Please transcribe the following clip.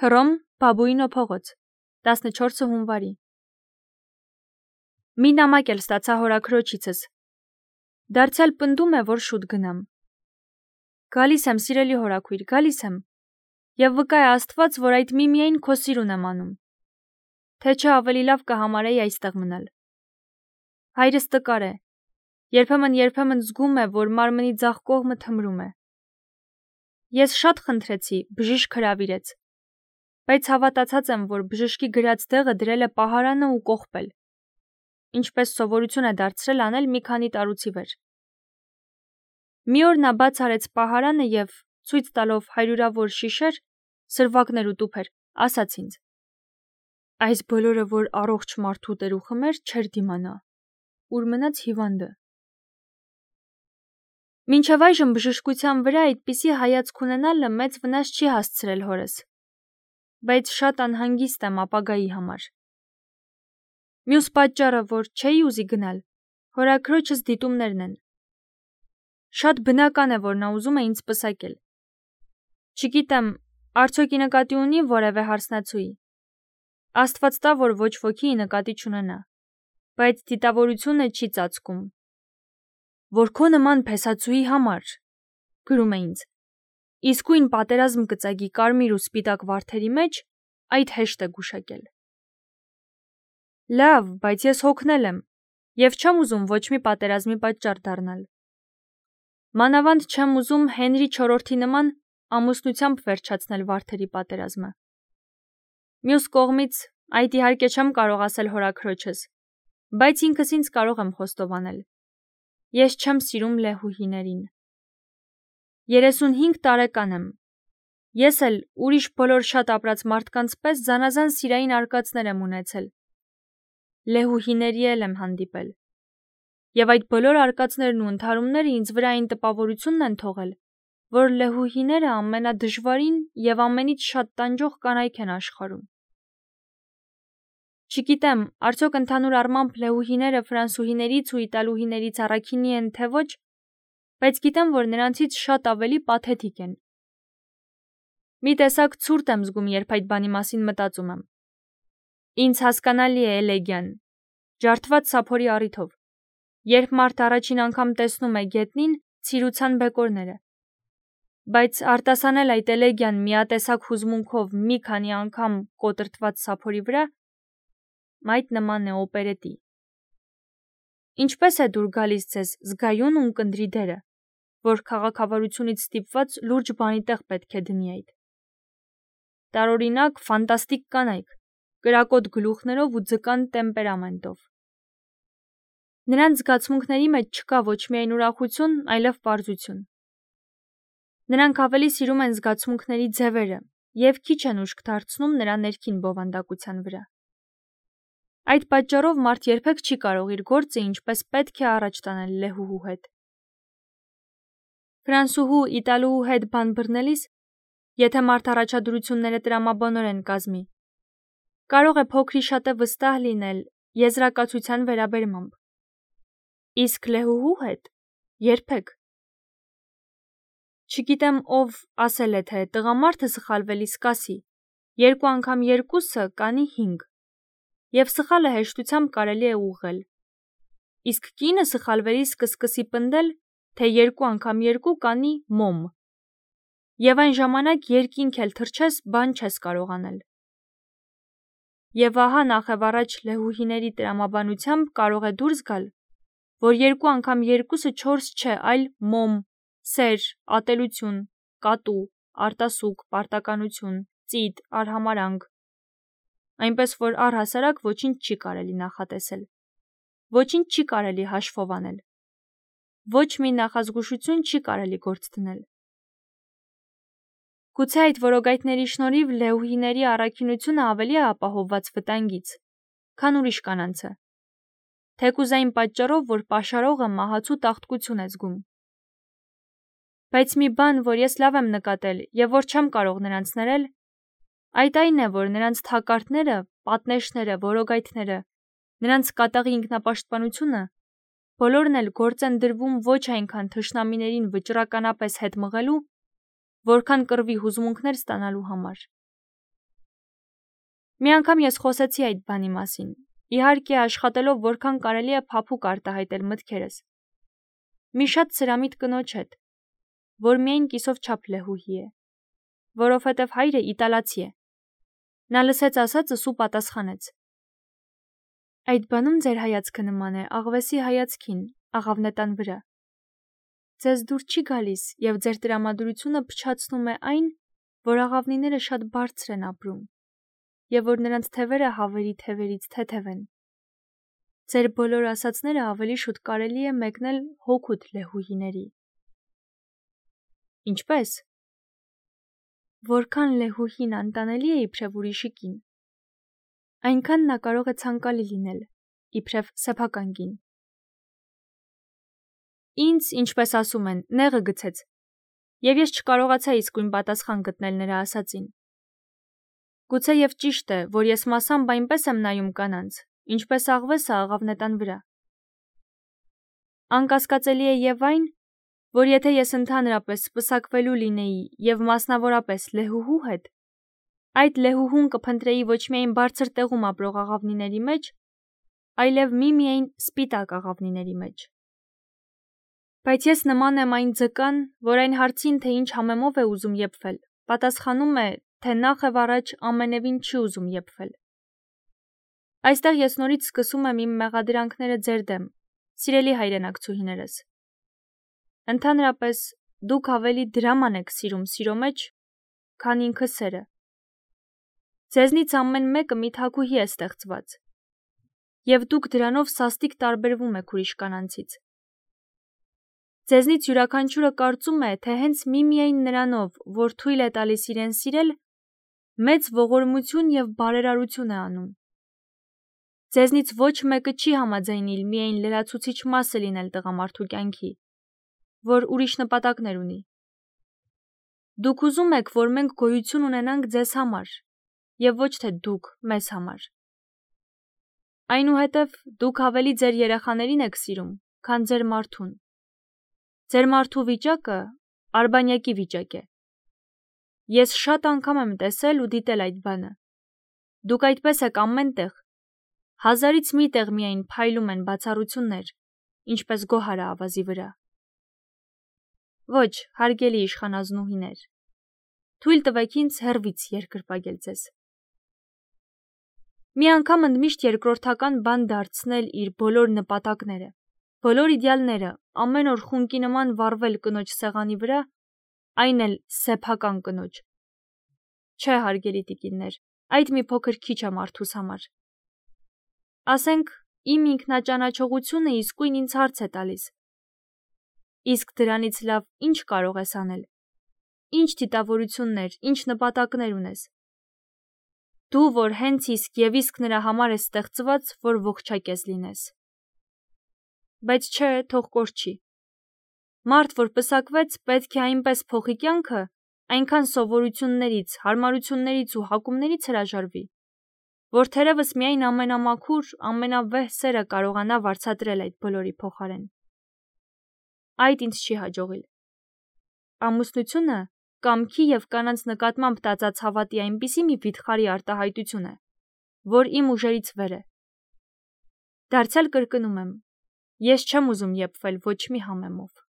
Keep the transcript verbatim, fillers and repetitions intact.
Հռոմ, Բաբուինո փողոց, տասնչորսը հունվարի։ Մի նամակ էլ ստացա հորաքրոջիցս։ Դարձյալ պնդում է, որ շուտ գնամ։ Գալիս եմ, սիրելի հորաքույր, գալիս եմ։ Եվ վկա է Աստված, որ այդ միմիայն քո սիրուն եմ անում։ Թե չէ ավելի լավ կհամարեի այստեղ մնալ։ Հայրս տկար է։ Երբեմն-երբեմն զգում է, որ մարմնի ձախ կողմը թմրում է։ Ես շատ խնդրեցի, բժիշկ հրավիրեց։ Բայց հավատացած եմ, որ բժշկի գրած դեղը դրել է պահարանը ու կողպել, ինչպես սովորություն է դարձրել անել մի քանի տարուց ի վեր։ Մի օր նա բաց արեց պահարանը և, ցույց տալով հարյուրավոր շիշեր, սրվակներ ու տուփեր, ասաց ինձ. այս բոլորը, որ առողջ մարդու տերուխմ էր, չէր դիմանա, ուր մնաց հիվանդը։ Մինչև այժմ բժշկության վրա այդպիսի հայացք ունենալը մեծ վնաս չի հասցրել հորս, բայց շատ անհանգիստ եմ ապագայի համար։ Մյուս պատճառը, որ չէի ուզի գնալ, հորաքրոջս դիտումներն են։ Շատ բնական է, որ նա ուզում է ինձ պսակել։ Չգիտեմ, արդյոք ի նկատի ունի որևէ հարսնացուի։ Աստված տա, որ ոչ ոքի ի նկատի չունենա, բայց դիտավորությունը չի ծածկում։ Որ քո նման փեսացուի համար, գրում է ինձ, իսկույն պատերազմ կծագի կարմիր ու սպիտակ վարդերի մեջ, այդ հեշտ է գուշակել։ Լավ, բայց ես հոգնել եմ, և չեմ ուզում ոչ մի պատերազմի պատճառ դառնալ։ Մանավանդ չեմ ուզում Հենրի չորրորդի նման ամուսնությամբ վերջացնել վարդերի պատերազմը։ Մյուս կողմից, այդ իհարկե չեմ կարող ասել հորաքրոջս, բայց ինքս ինձ կարող եմ խոստովանել։ Ես չեմ սիրում լեհուհիներին։ երեսունհինգ տարեկան եմ։ Ես էլ ուրիշ բոլոր շատ ապրած մարդկանց պես զանազան սիրային արկածներ եմ ունեցել։ Լեհուհիների էլ եմ հանդիպել։ Եվ այդ բոլոր արկածներն ու ընդհարումները ինձ վրա այն տպավորությունն են թողել, որ լեհուհիները ամենադժվարին և ամենից շատ տանջող կանայք են աշխարհում։ Չգիտեմ, արդյոք ընդհանուր առմամբ լեհուհիները ֆրանսուհիներից ու իտալուհիներից առաքինի են, թե ոչ, բայց գիտեմ, որ նրանցից շատ ավելի պաթետիկ են։ Մի տեսակ ցուրտ եմ զգում, երբ այդ բանի մասին մտածում եմ։ Ինձ հասկանալի է էլեգիան, ջարդված սափորի առիթով, երբ մարդ առաջին անգամ տեսնում է գետնին ցիրուցան բեկորները։ Բայց արտասանել այդ էլեգիան միատեսակ հուզմունքով մի քանի անգամ կոտրտված սափորի վրա, այդ նման է օպերետի։ Ինչպես է դուր գալիս ձեզ զգայուն ու ունկնդրի դերը, որ քաղաքավարությունից ստիպված լուրջ բանի տեղ պետք է դնի այդ։ Տարօրինակ, ֆանտաստիկ կանայք, կրակոտ գլուխներով ու ձկան տեմպերամենտով։ Նրանց զգացմունքների մեջ չկա ոչ միայն ուրախություն, այլև պարզություն։ Նրանք ավելի սիրում են զգացմունքների ձևերը և քիչ են ուշք դարձնում նրա ներքին բովանդակության վրա։ Այդ պատճառով մարդ երբեք չի կարող իր գործը ինչպես պետք է առաջ տանել լեհուհու հետ։ Ֆրանսուհու, իտալուհու հետ բան բռնելիս, եթե մարդ առաջադրությունները տրամաբանորեն կազմի, կարող է փոքր-ի-շատե վստահ լինել եզրակացության վերաբերմամբ։ Իսկ լեհուհու հետ երբեք։ Չգիտեմ ով ասել է, թե տղամարդը սխալվելիս կասի, երկու անգամ երկուսը կանի հինգ, և սխալը հեշտությամբ կարելի է ուղղել։ Իսկ կինը սխալվելիս կսկսի պնդել, թե երկու անգամ երկու կանի մոմ, և այն ժամանակ երկինք էլ թռչես, բան չես կարող անել։ Եվ ահա նախևառաջ լեհուհիների տրամաբանությամբ կարող է դուրս գալ, որ երկու անգամ երկուսը չորս չէ, այլ մոմ, սեր, ատելություն, կատու, արտասուք, պարտականություն, ծիտ, արհամարհանք, այնպես որ առհասարակ ոչինչ չի կարելի նախատեսել, ոչինչ չի կարելի հաշվով անել, ոչ մի նախազգուշություն չի կարելի գործ դնել։ Գուցե այդ որոգայթների շնորհիվ լեհուհիների առաքինությունը ավելի է ապահովված վտանգից, քան ուրիշ կանանցը, թեկուզ այն պատճառով, որ պաշարողը մահացու տաղտկություն է զգում։ Բայց մի բան, որ ես լավ եմ նկատել և որ չեմ կարող նրանց ներել, այդ այն է, որ նրանց թակարդները, պատնեշները, որոգայթները, նրանց կատաղի ինքնապաշտպանությունը, բոլորն էլ գործ են դրվում ոչ այնքան թշնամիներին վճռականապես հետ մղելու, որքան կռվի հուզմունքներ ստանալու համար։ Մի անգամ ես խոսեցի այդ բանի մասին, իհարկե աշխատելով որքան կարելի է փափուկ արտահայտել մտքերս։ Մի շատ սրամիտ կնոջ հետ, որ միայն կիսով չափ լեհուհի է, որովհետև հայրը իտալացի է։ Նա լսեց ասածս ու պատասխանեց. Այդ բանում ձեր հայացքը նման է աղվեսի հայացքին, աղավնետան վրա։ Ձեզ դուր չի գալիս և ձեր տրամադրությունը փչացնում է այն, որ աղավնիները շատ բարձր են ապրում, և որ նրանց թևերը հավերի թևերից թեթև են։ Ձեր բոլոր ասածները ավելի շուտ կարելի է մեկնել հօգուտ լեհուհիների։ Ինչպե՞ս։ Որքան լեհուհին անտանելի է իբրև ուրիշի կին, այնքան նա կարող է ցանկալի լինել, իբրև սեփական կին։ Ինձ, ինչպես ասում են, նեղը գցեց, և ես չկարողացա իսկույն պատասխան գտնել նրա ասածին։ Գուցե և ճիշտ է, որ ես մասամբ այնպես եմ նայում կանանց, ինչպես աղվեսը աղավնետան վրա։ Անկասկածելի է և այն, որ եթե ես ընդհանրապես սպսակվելու լինեի և մասնավորապես լեհուհու հետ, այդ լեհուհուն կփնտրեի ոչ միայն բարձր տեղում ապրող աղավնիների մեջ, այլև միմիայն սպիտակ աղավնիների մեջ։ Բայց ես նման եմ այն ձկան, որ այն հարցին, թե ինչ համեմով է ուզում եփվել, պատասխանում է, թե նախ և առաջ ամենևին չի ուզում եփվել։ Այստեղ ես նորից սկսում եմ իմ մեղադրանքները ձեր դեմ, սիրելի հայրենակցուհիներս։ Ընդհանրապես, դուք ավելի դրաման եք սիրում սիրո մեջ, քան ինքը սերը։ Ձեզնից ամեն մեկը մի թագուհի է ստեղծված, և դուք դրանով սաստիկ տարբերվում եք ուրիշ կանանցից։ Ձեզնից յուրաքանչյուրը կարծում է, թե հենց միմիայն նրանով, որ թույլ է տալիս իրեն սիրել, մեծ ողորմություն և բարերարություն է անում։ Ձեզնից ոչ մեկը չի համաձայնիլ միայն լրացուցիչ մասը լինել տղամարդու կյանքի, որ ուրիշ նպատակներ ունի։ Դուք ուզում եք, որ մենք գոյություն ունենանք ձեզ համար, և ոչ թե դուք մեզ համար։ Այնուհետև դուք ավելի ձեր երեխաներին եք սիրում, քան ձեր մարդուն։ Ձեր մարդու վիճակը արբանյակի վիճակ է։ Ես շատ անգամ եմ տեսել ու դիտել այդ բանը։ Դուք այդպես եք ամեն տեղ, հազարից մի տեղ միայն փայլում են բացառություններ, ինչպես գոհարը ավազի վրա։ Ոչ, հարգելի իշխանազնուհիներ, թույլ տվեք ինձ հեռվից երկրպագել ձեզ։ Մի անգամ ընդմիշտ երկրորդական բան դարձնել իր բոլոր նպատակները, բոլոր իդեալները, ամեն օր խունկի նման վառվել կնոջ սեղանի վրա, այն էլ սեփական կնոջ։ Չէ, հարգելի տիկիններ, այդ մի փոքր քիչ է մարդուս համար։ Ասենք, իմ ինքնաճանաչողությունը իսկույն ինձ հարց է տալիս. իսկ դրանից լավ ինչ կարող ես անել։ Ինչ դիտավորություններ, ինչ նպատակներ ունես։ Դու, որ հենց իսկ և իսկ նրա համար ես ստեղծված, որ ողջակեզ լինես։ Բայց չէ, թող կորչի։ Մարդ, որ պսակվեց, պետք է այնպես փոխի կյանքը, այնքան սովորություններից, հարմարություններից ու հակումներից հրաժարվի, որ թերևս միայն ամենամաքուր, ամենավեհ սերը կարողանա վարձատրել այդ բոլորի փոխարեն։ Այդ ինձ չի հաջողիլ։ Ամուսնությունը կամքի և կանանց նկատմամբ տածած հավատի այնպիսի մի վիթխարի արտահայտություն է, որ իմ ուժերից վեր է։ Դարձյալ կրկնում եմ, ես չեմ ուզում եփվել ոչ մի համեմով։